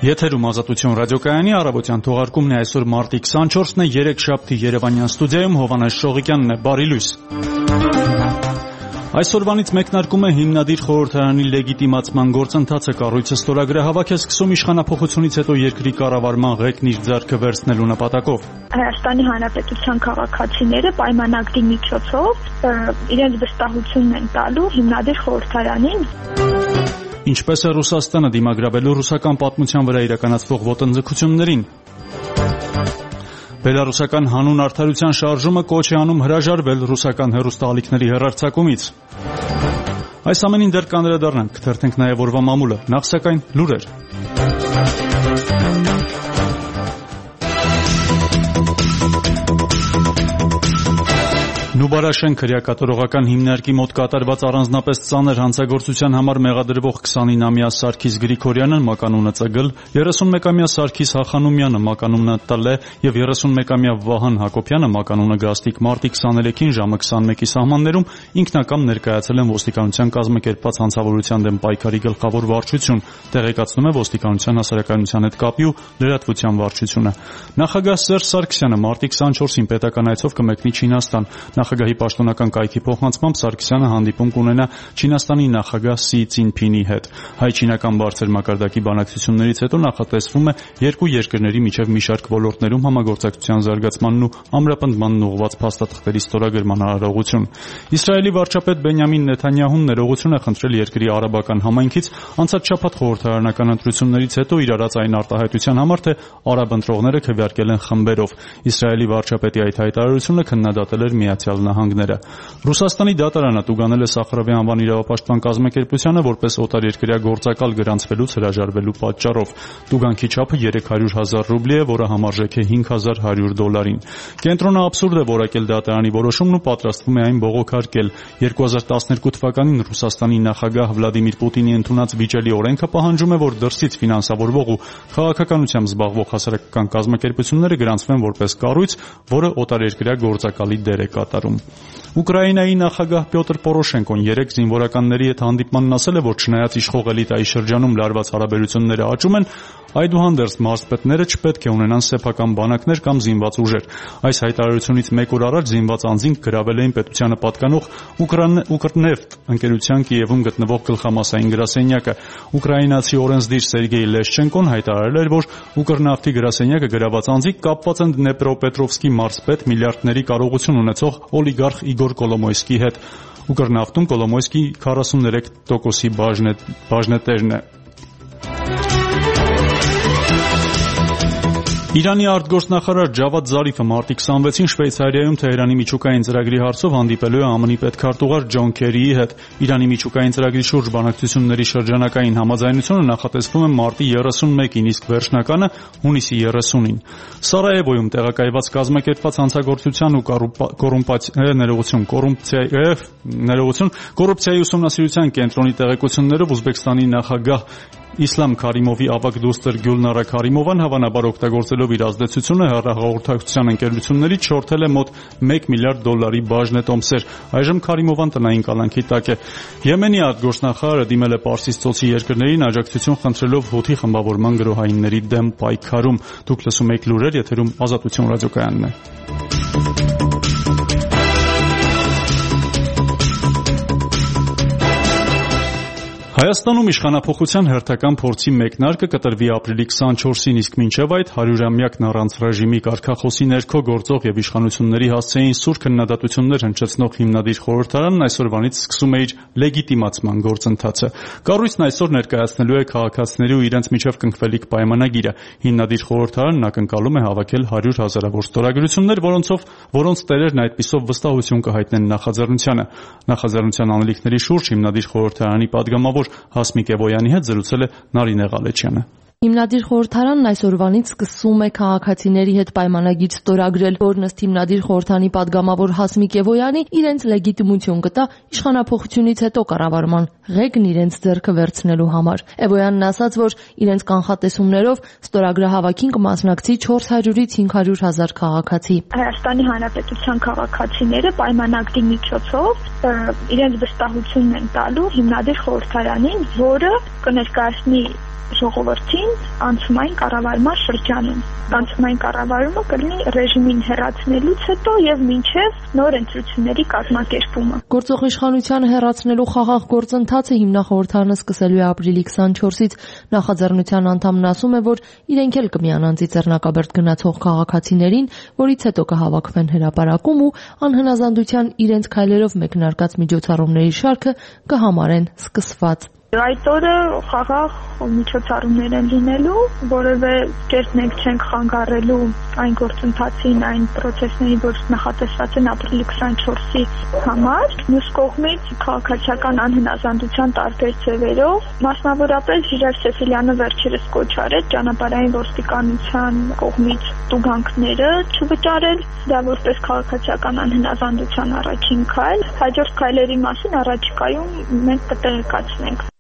Եթերում Ազատություն ռադիոկայանի առավոտյան թողարկումն է այսօր մարտի 24-ն է, երեքշաբթի Երևանյան ստուդիայում Հովանես Շողիկյանն է, բարի լույս։ Այսօրվանից մեկնարկում է հիմնադիր խորհրդարանի լեգիտիմացման գործընթացը, կառույցը ստորագրահավաք է սկսում իշխանափոխությունից հետո երկրի կառավարման ղեկն իր ձեռքը վերցնելու նպատակով։ Հայաստանի Հանրապետության քաղաքացիները պայմանագրի միջոցով իրենց վստահությունն են տալու հիմնադիր խորհրդարանին։ Ինչպես է Ռուսաստանը դիմագրավելու ռուսական պատմության վրա իրականացվող ոտնձգություններին։ Բելարուսական հանուն արդարության շարժումը կոչ է անում հրաժարվել ռուսական հեռուստաալիքների հեռարձակումից։ Այս ամենին դեռ կանդրադառնանք, կթերթենք նաև օրվա մամուլը, նախ սակայն լուրեր։ Նուբարաշեն քրեակատարողական հիմնարկի մոտ կատարված առանձնապես ծանր հանցագործության համար մեղադրվող 29-ամյա Սարգիս Գրիգորյանը մականունը Ծգլ, 31-ամյա Սարգիս Հախանումյանը մականունը Տլե եւ 31-ամյա Վահան Հակոբյանը մականունը Գաստիկ մարտի 23-ին ժամը 21-ի սահմաններում ինքնակամ ներկայացել են ոստիկանության կազմակերպված հանցավորության դեմ պայքարի գլխավոր վարչություն, տեղեկացնում է ոստիկանության հասարակայնության հետ կապի ու լրատվության վարչությունը։ Նախագահ Սերժ Սարգսյանը մարտի 24-ին պետական այցով կմեկնի Չինաստան։ Նախագահի պաշտոնական կայքի փոխանցմամբ Սարգսյանը հանդիպում կունենա Չինաստանի նախագահ Սի Ցինփինի հետ։ Հայ-չինական բարձր մակարդակի բանակցություններից հետո նախատեսվում է երկու երկրների միջև մի շարք ոլորտներում համագործակցության զարգացմանն ու ամրապնդմանն ուղղված փաստաթղթերի ստորագրման արարողություն։ Իսրայելի վարչապետ Բենյամին Նեթանյահուն ներողություն է խնդրել երկրի արաբական համայնքից անցած շաբաթ խորհրդարանական ընտրություններից հետո իր արած այն արտահայտության համար, թե արաբ ընտրողները քվեարկել են խմբերով։ Իսրայելի վարչապետի այդ հայտարարությունը քննադատել էր Միացյալ Նահանգները։ Ռուսաստանի դատարանը տուգանել է Սախարովի անվան իրավապաշտպան կազմակերպությանը որպես օտարերկրյա գործակալ գրանցվելուց հրաժարվելու պատճառով։ Տուգանքի չափը 300,000 ռուբլի է, որը համարժեք է $5,100-ին։ Կենտրոնը աբսուրդ է որակել դատարանի որոշումն ու պատրաստվում է այն բողոքարկել։ 2012 թվականին Ռուսաստանի նախագահ Վլադիմիր Պուտինի ընդունած վիճելի օրենքը պահանջում է, որ դրսից ֆինանսավորվող ու քաղաքականությամբ զբաղվող հասարակական կազմակերպությունները գրանցվեն որպես կառույց, որը օտարերկրյա գործակալի դեր է կատարում։ Ուկրաինայի նախագահ Պյոտր Պորոշենկոն երեկ զինվորականների հետ հանդիպմանն ասել է, որ չնայած իշխող էլիտայի շրջանում լարված հարաբերությունները աճում են, այդուհանդերձ մարզպետները չպետք է ունենան սեփական բանակներ կամ զինված ուժեր։ Այս հայտարարությունից մեկ օր առաջ զինված անձինք գրավել էին պետությանը պատկանող Ուկրնեֆտ ընկերության Կիևում գտնվող գլխամասային գրասենյակը։ Ուկրաինացի օրենսդիր Սերգեյ Լեշչենկոն հայտարարել էր, որ Ուկրնավթի գրասենյակը գրաված անձինք կապված են Դնեպրոպետրովսկի մարզպետ միլիարդների կարողություն ունեցող օլիգարխ Իգոր Կոլոմոյսկի հետ։ Ուկրնավթում Կոլոմոյսկի 43%-ի բաժնետերն է։ Իրանի արտգործնախարար Ջավադ Զարիֆը մարտի 26-ին Շվեյցարիայում Թեհրանի միջուկային ծրագրի հարցով հանդիպելու է ԱՄՆ-ի պետքարտուղար Ջոն Քերիի հետ։ Իրանի միջուկային ծրագրի շուրջ բանակցությունների շրջանակային համաձայնությունը նախատեսվում է մարտի 31-ին, իսկ վերջնականը հունիսի 30-ին։ Սարայևոյում տեղակայված կազմակերպված հանցագործության ու կոռուպցիայի ուսումնասիրության կենտրոնի տեղեկություններով Ուզբեկստանի նախագահ Իսլամ Քարիմովի ավագ դուստր Գյուլնարա Քարիմովան հավանաբար օգտագործելով իր ազդեցությունը հեռահաղորդակցության ընկերություններից շորթել է մոտ $1 միլիարդ բաժնետոմսեր։ Այժմ Քարիմովան տնային կալանքի տակ է։ Եմենի արտգործնախարարը դիմել է Պարսից ծոցի երկրներին աջակցություն խնդրելով Հութի խմբավորման գրոհայինների դեմ պայքարում։ Դուք լսում եք լուրեր, եթերում Ազատություն ռադիոկայանն է։ Հայաստանում իշխանափոխության հերթական փորձի մեկնարկը կտրվի ապրիլի 24-ին, իսկ մինչև այդ 100-ամյակն առանց ռեժիմի կարգախոսի ներքո գործող եւ իշխանությունների հասցեին սուր քննադատություններ հնչեցնող հիմնադիր խորհրդարանն այսօրվանից սկսում է իր լեգիտիմացման գործընթացը։ Կառույցն այսօր ներկայացնելու է քաղաքացիների ու իրենց միջև կնքվելիք պայմանագիրը։ Հիմնադիր խորհրդարանն ակնկալում է հավաքել 100,000-ավոր ստորագրություններ, որոնց տերերն այդպիսով վստահություն կհայտնեն նախաձեռնությանը։ Նախաձեռնության անելիքների շուրջ հիմնադիր խորհրդարանի падգամավոր Հասմիկ Էվոյանի հետ զրուցել է Նարինե Ղալեչյանը։ Հիմնադիր խորհրդարանն այսօրվանից սկսում է քաղաքացիների հետ պայմանագիր ստորագրել, որն ըստ հիմնադիր խորհրդանի падգամավոր Հասմիկ Էվոյանի իրենց լեգիտիմություն կտա իշխանափոխությունից հետո կառավարման ղեկն իրենց ձեռքը վերցնելու համար։ Էվոյանն ասաց, որ իրենց կանխատեսումներով ստորագրահավաքին կմասնակցի 400-ից 500,000 քաղաքացի։ Հայաստանի Հանրապետության քաղաքացիները պայմանագրի միջոցով իրենց վստահությունն են տալու հիմնադիր խորհրդարանին, որը կներկայացնի ժողովրդին անցումային կառավարման շրջանում։ Անցումային կառավարումը կլինի ռեժիմին հեռացնելուց հետո եւ մինչեւ նոր ընտրությունների կազմակերպումը։ Գործող իշխանության հեռացնելու խաղաղ գործընթացը հիմնախորհրդարանը սկսելու է ապրիլի 24-ից։ Նախաձեռնության անդամն ասում է, որ իրենք էլ կմիանան Ծիծեռնակաբերդ գնացող քաղաքացիներին, որից հետո կհավաքվեն հրապարակում ու անհնազանդության իրենց քայլերով մեկնարկած միջոցառումների շարքը կհամարեն սկսված։ Այդ օրը խաղաղ միջոցառումներ են լինելու, որևէ կերպ մենք չենք խանգարելու այն գործընթացին, այն process-ներին, որ նախատեսված են ապրիլի 24-ի համար։ Մյուս կողմից քաղաքացիական անհնազանդության տարբեր ձևերով, մասնավորապես Ժիրայր Սեֆիլյանը վերջերս կոչ արեց ճանապարհային ոստիկանության կողմից տուգանքները չվճարել, դա որպես քաղաքացիական անհնազանդության առաջին քայլ։ Հաջորդ քայլերի մասին առաջիկայում մենք կտեղեկացնենք։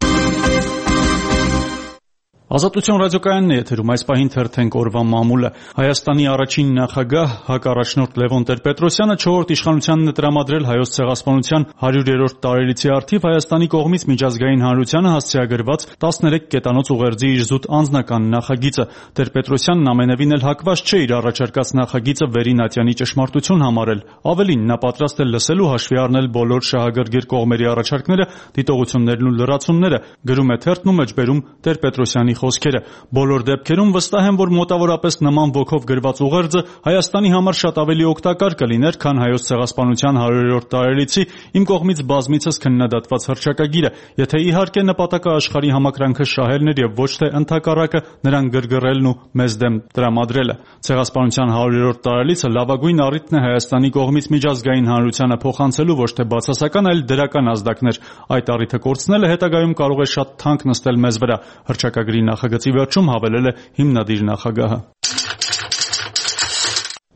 Ազատություն ռադիոկայանն է եթերում, այս պահին թերթենք օրվա մամուլը։ Հայաստանի առաջին նախագահ հակառաջնորդ Լևոն Տեր-Պետրոսյանը 4-րդ իշխանությանն է տրամադրել Հայոց ցեղասպանության 100-րդ տարելիցի առթիվ Հայաստանի կողմից միջազգային հանրությանը հասցեագրված 13 կետանոց ուղերձի իր զուտ անձնական նախագիծը։ Տեր-Պետրոսյանն ամենևին էլ հակված չէ իր առաջարկած նախագիծը վերին ատյանի ճշմարտություն համարել։ Ավելին, նա պատրաստ է լսել ու հաշվի առնել բոլոր շահագրգիռ կողմերի առաջարկները, դիտողություններն ու լրացումները, գրում է թերթն ու մեջբերում Տեր-Պետրոսյանի խոսքերը։ Բոլոր դեպքերում վստահ եմ, որ մոտավորապես նման ոգով գրված ուղերձը Հայաստանի համար շատ ավելի օգտակար կլիներ, քան Հայոց ցեղասպանության 100-րդ տարելիցի իմ կողմից բազմիցս քննադատված հռչակագիրը, եթե իհարկե նպատակը աշխարհի համակրանքը շահելն էր եւ ոչ թե ընդհակառակը նրան գրգռելն ու մեզ դեմ տրամադրելը։ Ցեղասպանության 100-րդ տարելիցը լավագույն առիթն է Հայաստանի կողմից միջազգային հանրությանը փոխանցելու ոչ թե բացասական, այլ դրական ազդակներ։ Այդ առիթը կորցնելը հետագայում կարող է շատ թանկ նստել մեզ վրա։ Հռչակագրի նախագծի վերջում հավելել է հիմնադիր նախագահը։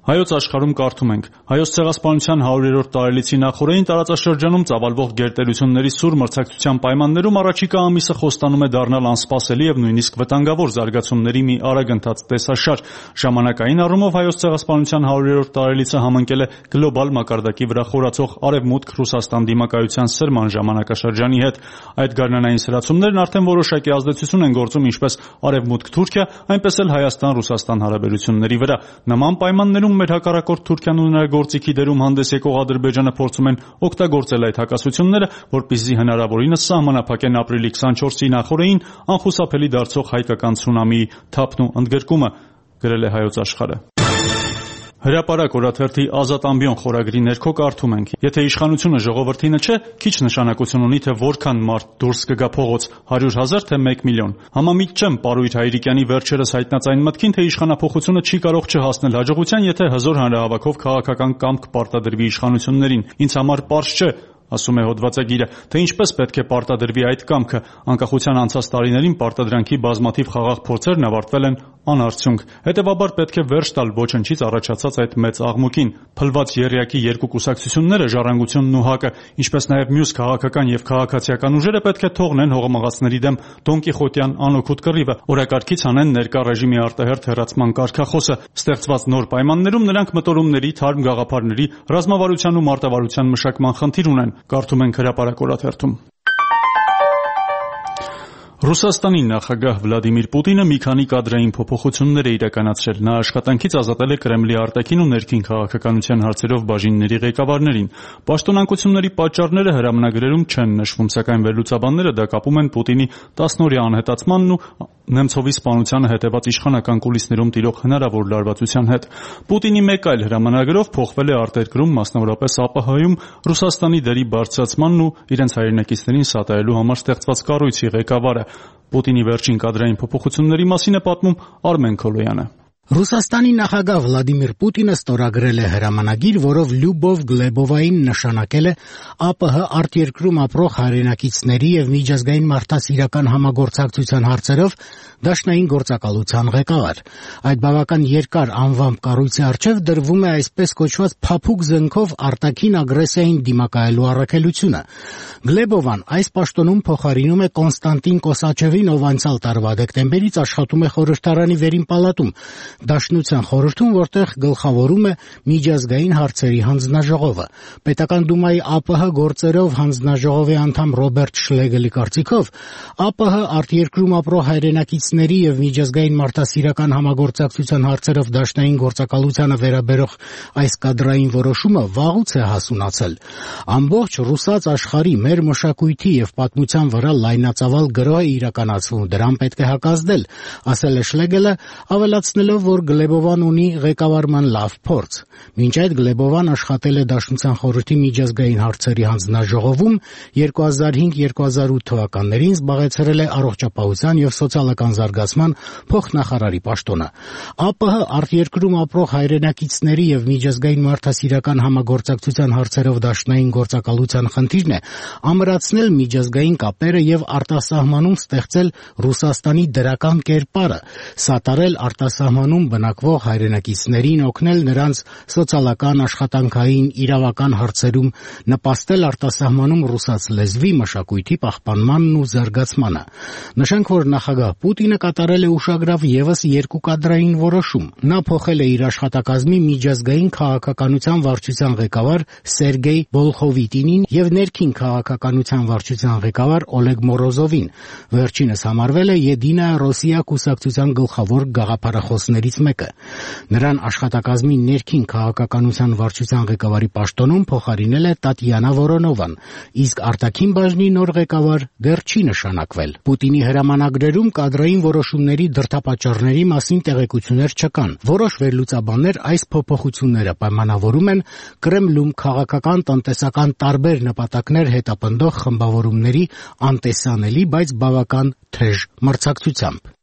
Հայոց աշխարհում կարդում ենք. Հայոց ցեղասպանության 100-րդ տարելիցի նախօրեին տարածաշրջանում ծավալվող գերտերությունների սուր մրցակցության պայմաններում առաջիկա ամիսը խոստանում է դառնալ անսպասելի եւ նույնիսկ վտանգավոր զարգացումների մի արագընթաց տեսաշար։ Ժամանակային առումով Հայոց ցեղասպանության 100-րդ տարելիցը համընկել է գլոբալ մակարդակի վրա խորացող Արևմուտք Ռուսաստան դիմակայության սրման ժամանակաշրջանի հետ։ Այդ գարնանային սրացումներն արդեն որոշակի ազդեցություն են գործում ինչպես Արևմուտք-Թուրքիա, այնպես էլ Հայաստան-Ռուսաստան հարաբերությունների վրա։ Նման պայմաններում մեր հակառակորդ Թուրքիան ու նրա գործիքի դերում հանդես եկող Ադրբեջանը փորձում են օգտագործել այդ հակասությունները, որպեսզի հնարավորինս սահմանափակեն ապրիլի 24-ի նախօրեին անխուսափելի դարձող հայկական ցունամիի թափն ու ընդգրկումը, գրել է Հայոց աշխարհը։ Հրապարակ օրաթերթի Ազատ ամբիոն խորագրի ներքո կարդում ենք. Եթե իշխանությունը ժողովրդինը չէ, քիչ նշանակություն ունի, թե որքան մարդ դուրս կգա փողոց, 100,000 թե 1 միլիոն։ Համամիտ չեմ Պարույր Հայրիկյանի վերջերս հայտնած այն մտքին, թե իշխանափոխությունը չի կարող չհասնել հաջողության, եթե հզոր հանրահավաքով քաղաքական կամք պարտադրվի իշխանություններին։ Ինձ համար պարզ չէ, ասում է հոդվածագիրը, թե ինչպես պետք է պարտադրվի այդ կամքը։ Անկախության անցած տարիներին պարտադրանքի բազմաթիվ խաղաղ փորձերն ավարտվել են անարդյունք։ Հետևաբար պետք է վերջ տալ ոչնչից առաջացած այդ մեծ աղմուկին։ Փլված եռյակի երկու կուսակցությունները, Ժառանգությունն ու ՀԱԿ-ը, ինչպես նաև մյուս քաղաքական եւ քաղաքացիական ուժերը պետք է թողնեն հողմաղացների դեմ Դոն Կիխոտյան անօգուտ կռիվը, օրակարգից անեն ներկա ռեժիմի արտահերթ հեռացման կարգախոսը։ Ստեղծված նոր պայմաններում նրանք մտորումների, թարմ գաղափարների, ռազմավարության ու մարտավարության մշակման խնդիր ունեն, կարդում ենք հրապարակ օրաթերթում։ Ռուսաստանի նախագահ Վլադիմիր Պուտինը մի քանի կադրային փոփոխություններ է իրականացրել։ Նա աշխատանքից ազատել է Կրեմլի արտաքին ու ներքին քաղաքականության հարցերով բաժինների ղեկավարներին։ Պաշտոնանկությունների պատճառները հրամանագրերում չեն նշվում, սակայն վերլուծաբանները դա կապում են Պուտինի 10-օրյա անհետացմանն ու Նեմցովի սպանությանը հետևած իշխանական կուլիսներում տիրող հնարավոր լարվածության հետ։ Պուտինի մեկ այլ հրամանագրով փոխվել է արտերկրում, մասնավորապես ԱՊՀ-ում Ռուսաստանի դերի բարձրացմանն ու իրենց հայրենակիցներին սատարելու համար ստեղծված կառույցի ղեկավարը։ Պուտինի վերջին կադրային փոփոխությունների մասին է պատմում Արմեն Քոլոյանը։ Ռուսաստանի նախագահ Վլադիմիր Պուտինը ստորագրել է հրամանագիր, որով Լյուբով Գլեբովային նշանակել է ԱՊՀ արտերկրում ապրող հայրենակիցների եւ միջազգային մարդասիրական համագործակցության հարցերով դաշնային գործակալության ղեկավար։ Այդ բավական երկար անվամբ կառույցի առջև դրվում է այսպես կոչված փափուկ զենքով արտաքին ագրեսիային դիմակայելու առաքելությունը։ Գլեբովան այս պաշտոնում փոխարինում է Կոնստանտին Կոսաչևին, ով անցյալ տարվա դեկտեմբերից աշխատում է խորհրդարանի վերին պալատում։ Դաշնության խորհրդում, որտեղ գլխավորում է միջազգային հարցերի հանձնաժողովը։ Պետական դումայի ԱՊՀ գործերով հանձնաժողովի անդամ Ռոբերտ Շլեգելի կարծիքով ԱՊՀ արտերկրում ապրող հայրենակիցների եւ միջազգային մարդասիրական համագործակցության հարցերով դաշնային գործակալությանը վերաբերող այս կադրային որոշումը վաղուց է հասունացել։ Ամբողջ ռուսաց աշխարհի մեր մշակույթի եւ պատմության վրա լայնածավալ գրոհ է իրականացվում, դրան պետք է հակազդել, ասել է Շլեգելը, ավելացնելով, որ Գլեբովան ունի ղեկավարման լավ փորձ։ Մինչ այդ Գլեբովան աշխատել է Դաշնության խորհրդի միջազգային հարցերի հանձնաժողովում, 2005-2008 թվականներին զբաղեցրել է առողջապահության եւ սոցիալական զարգացման փոխնախարարի պաշտոնը։ ԱՊՀ արտերկրում ապրող հայրենակիցների եւ միջազգային մարդասիրական համագործակցության հարցերով դաշնային գործակալության խնդիրն է ամրացնել միջազգային կապերը եւ արտասահմանում ստեղծել Ռուսաստանի դրական կերպարը, սատարել արտասահմանում բնակվող հայրենակիցներին, օգնել նրանց սոցիալական, աշխատանքային, իրավական հարցերում, նպաստել արտասահմանում ռուսաց լեզվի, մշակույթի պահպանմանն ու զարգացմանը։ Նշենք, որ նախագահ Պուտինը կատարել է ուշագրավ եւս 2 կադրային որոշում։ Նա փոխել է իր աշխատակազմի միջազգային քաղաքականության վարչության ղեկավար Սերգեյ Բոլխովիտինին եւ ներքին քաղաքականության վարչության ղեկավար Օլեգ Մորոզովին։ Վերջինս համարվել է Եդինայա Ռոսիա կուսակցության գլխավոր գաղափարախոսներից մեկը։ Նրան աշխատակազմի ներքին քաղաքականության վարչության ղեկավարի պաշտոնում փոխարինել է Տատյանա Վորոնովան, իսկ արտաքին բաժնի նոր ղեկավար դեռ չի նշանակվել։ Պուտինի հրամանագրերում կադրային որոշումների դրդապատճառների մասին տեղեկություններ չկան։ Որոշ վերլուծաբաններ այս փոփոխությունները պայմանավորում են Կրեմլում քաղաքական, տնտեսական տարբեր նպատակներ հետապնդող խմբավորումների անտեսանելի, բայց բավական թեժ մրցակցությամբ։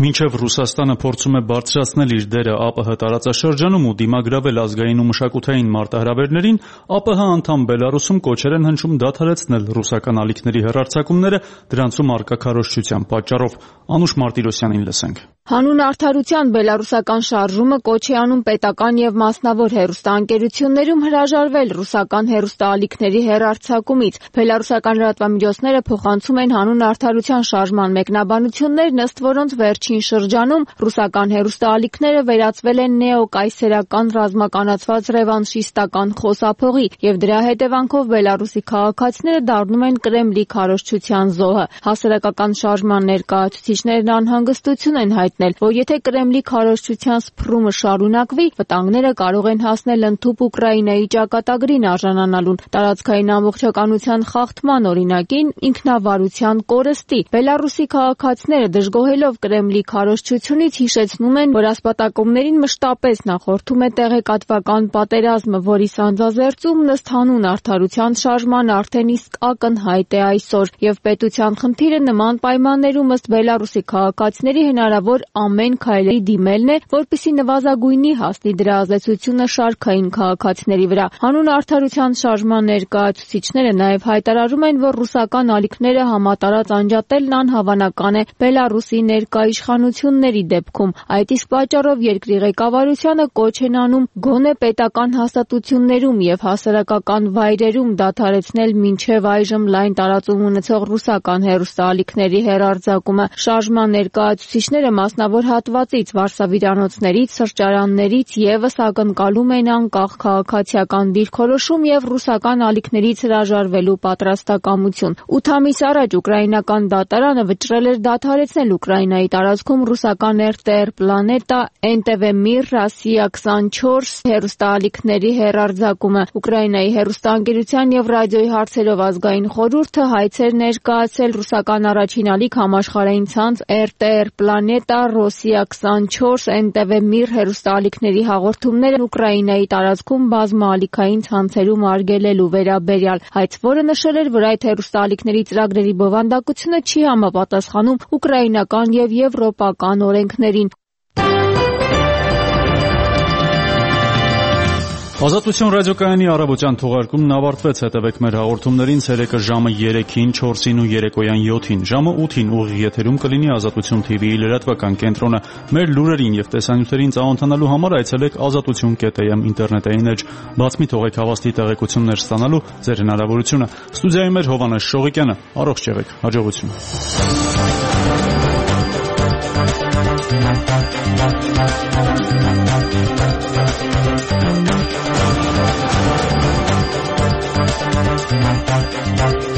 Մինչև Ռուսաստանը փորձում է բարձրացնել իր դերը ԱՊՀ տարածաշրջանում ու դիմագրավել ազգային ու մշակութային մարտահրավերներին, ԱՊՀ անդամ Բելարուսում կոչեր են հնչում դադարեցնել ռուսական ալիքների հեռարձակումները դրանցում առկա քարոզչության պատճառով։ Անուշ Մարտիրոսյանին լսենք։ Հանուն արդարության բելարուսական շարժումը կոչ է անում պետական եւ մասնավոր հեռուստաընկերություններում հրաժարվել ռուսական հեռուստաալիքների հեռարձակումից։ Բելարուսական լրատվամիջոցները փոխանցում են հանուն արդարության շարժման մեկնաբանություններն, ըստ որոնց վերջին շրջանում ռուսական հեռուստաալիքները վերածվել են նեոկայսերական ռազմականացված ռևանշիստական խոսափողի եւ դրա հետևանքով Բելարուսի քաղաքացիները դառնում են Կրեմլի քարոզչության զոհը։ Հասարակական շարժման ներկայացուցիչներն անհանգստություն են հայտնել, որ եթե Կրեմլի քարոզչության սփռումը շարունակվի, վտանգները կարող են հասնել ընդհուպ Ուկրաինայի ճակատագրին արժանանալուն, տարածքային ամբողջականության խախտման օրինակին, ինքնավարության կորստի։ Բելարուսի քաղաքացիները դժգոհելով Կրեմլի քարոզչությունից հիշեցնում են, որ ասպատակումներին մշտապես նախորդում է տեղեկատվական պատերազմը, որի սանձազերծումն ըստ հանուն արդարության շարժման արդեն իսկ ակնհայտ է այսօր, եւ պետության խնդիրը նման պայմաններում ըստ Բելարուսի քաղաքացիների հնարավոր ամեն քայլերի դիմելն է, որպեսզի նվազագույնի հասնի դրա ազդեցությունը շարքային քաղաքացիների վրա։ Հանուն արդարության շարժման ներկայացուցիչները նաև հայտարարում են, որ ռուսական ալիքները համատարած անջատելն անհավանական է Բելարուսի ներկա իշխանությունների դեպքում։ Այդ իսկ պատճառով երկրի ղեկավարությանը կոչ են անում գոնե պետական հաստատություններում եւ հասարակական վայրերում դադարեցնել մինչև այժմ լայն տարածում ունեցող ռուսական հեռուստաալիքների հեռարձակումը։ Շարժման ներկայացուցիչները մասնավոր հատվածից, վարսավիրանոցներից, սրճարաններից եւս ակնկալում են անկախ քաղաքացիական դիրքորոշում եւ ռուսական ալիքներից հրաժարվելու պատրաստակամություն։ 8 ամիս առաջ ուկրաինական դատարանը վճռել էր դադարեցնել Ուկրաինայի տարածքում ռուսական RTR Planeta, NTV Mir, Россия 24 հեռուստաալիքների հեռարձակումը։ Ուկրաինայի հեռուստաընկերության եւ ռադիոյի հարցերով ազգային խորհուրդը հայցեր ներկայացել ռուսական առաջին ալիք համաշխարհային ցանց RTR Planeta, Россия 24, NTV Mir հեռուստաալիքների հաղորդումները Ուկրաինայի տարածքում բազմաալիքային ցանցերում արգելելու վերաբերյալ, հայցվորը նշել էր, որ այդ հեռուստաալիքների ծրագրերի բովանդակությունը չի համապատասխանում ուկրաինական եւ եվրոպական օրենքներին։ Ազատություն ռադիոկայանի առավոտյան թողարկումն ավարտվեց, հետևեք մեր հաղորդումներին ցերեկը ժամը 3-ին, 4-ին ու երեկոյան 7-ին, ժամը 8-ին ուղիղ եթերում կլինի Ազատություն TV-ի լրատվական կենտրոնը։ Մեր լուրերին եւ տեսանյութերին ծանոթանալու համար այցելեք azatutun.am ինտերնետային էջ, բաց մի թողեք հավաստի տեղեկություններ ստանալու ձեր հնարավորությունը։ Ստուդիայում էր Հովանես Շողիկյանը, առողջ եղեք, հաջողություն։ Thank you.